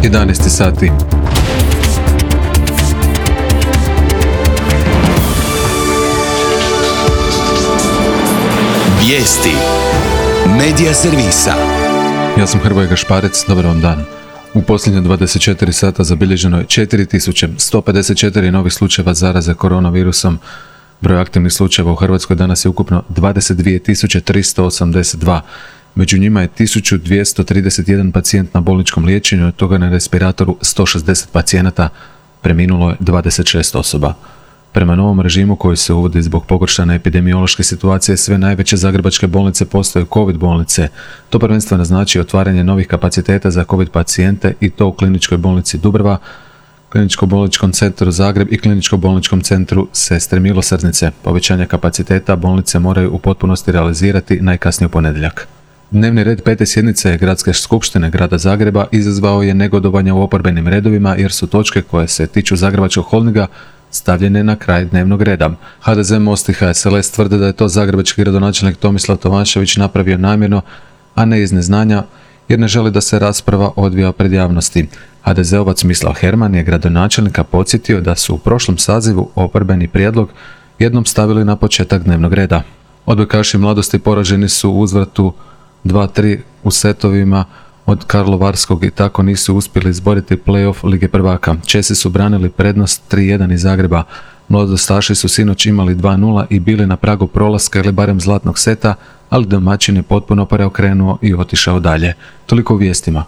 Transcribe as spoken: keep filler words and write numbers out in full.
jedanaest sati. Vijesti Medija servisa. Ja sam Hrvoje Gašparec, dobar vam dan. U posljednje dvadeset četiri sata zabilježeno je četiri tisuće sto pedeset četiri novih slučajeva zaraze koronavirusom. Broj aktivnih slučajeva u Hrvatskoj danas je ukupno dvadeset dvije tisuće tristo osamdeset dva. Među njima je tisuću dvjesto trideset jedan pacijent na bolničkom liječenju, od toga na respiratoru sto šezdeset pacijenata, preminulo je dvadeset šest osoba. Prema novom režimu koji se uvodi zbog pogoršane epidemiološke situacije, sve najveće zagrebačke bolnice postaju COVID bolnice. To prvenstveno znači otvaranje novih kapaciteta za COVID pacijente i to u Kliničkoj bolnici Dubrava, Kliničko-bolničkom centru Zagreb i Kliničko-bolničkom centru Sestre Milosrdnice. Povećanje kapaciteta bolnice moraju u potpunosti realizirati najkasnije u ponedjeljak. Dnevni red pete sjednice Gradske skupštine Grada Zagreba izazvao je negodovanje u oporbenim redovima jer su točke koje se tiču Zagrebačkog holdinga stavljene na kraj dnevnog reda. ha de ze, Most i ha es el es tvrde da je to zagrebački gradonačelnik Tomislav Tomašević napravio namjerno, a ne iz neznanja, jer ne želi da se rasprava odvija pred javnosti. ha de zeovac Mislav Herman je gradonačelnika podsjetio da su u prošlom sazivu oporbeni prijedlog jednom stavili na početak dnevnog reda. Odbojkaši Mladosti poraženi su u uzvratu dva tri u setovima od Karlovarskog i tako nisu uspjeli izboriti play-off Lige prvaka. Česi su branili prednost tri jedan iz Zagreba. Mladostaši su sinoć imali dva nula i bili na pragu prolaska ili barem zlatnog seta, ali domaćin je potpuno preokrenuo i otišao dalje. Toliko u vijestima.